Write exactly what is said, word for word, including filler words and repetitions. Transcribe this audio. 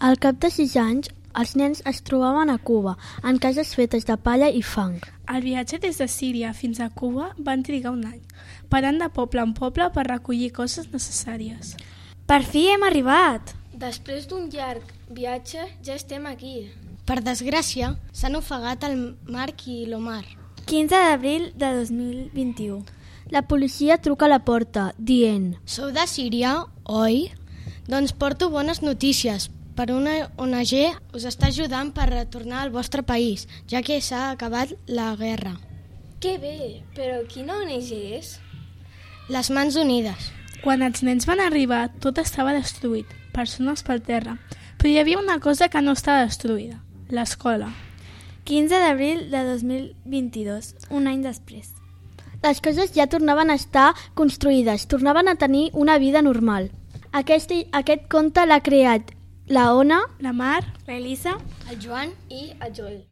Al cap de sis anys, els nens es trobaven a Cuba, en cases fetes de palla i fang. El viatge des de Síria fins a Cuba van trigar un any, parant de poble en poble per recollir coses necessàries. Per fi hem arribat! Després d'un llarg viatge ja estem aquí. Per desgràcia, s'han ofegat el Marc i l'Omar. quinze d'abril de dos mil vint-i-u. La policia truca a la porta, dient: Sou de Síria, oi? Doncs porto bones notícies. Per una O N G us està ajudant per retornar al vostre país, ja que s'ha acabat la guerra. Que bé, però quina O N G és? Les Mans Unides. Quan els nens van arribar, tot estava destruït, persones pel terra, però hi havia una cosa que no estava destruïda, l'escola. quinze d'abril de dos mil vint-i-dos, un any després. Les coses ja tornaven a estar construïdes, tornaven a tenir una vida normal. Aquest, aquest conte l'ha creat la Ona, La Mar, l'Elisa, El Joan i el Joel.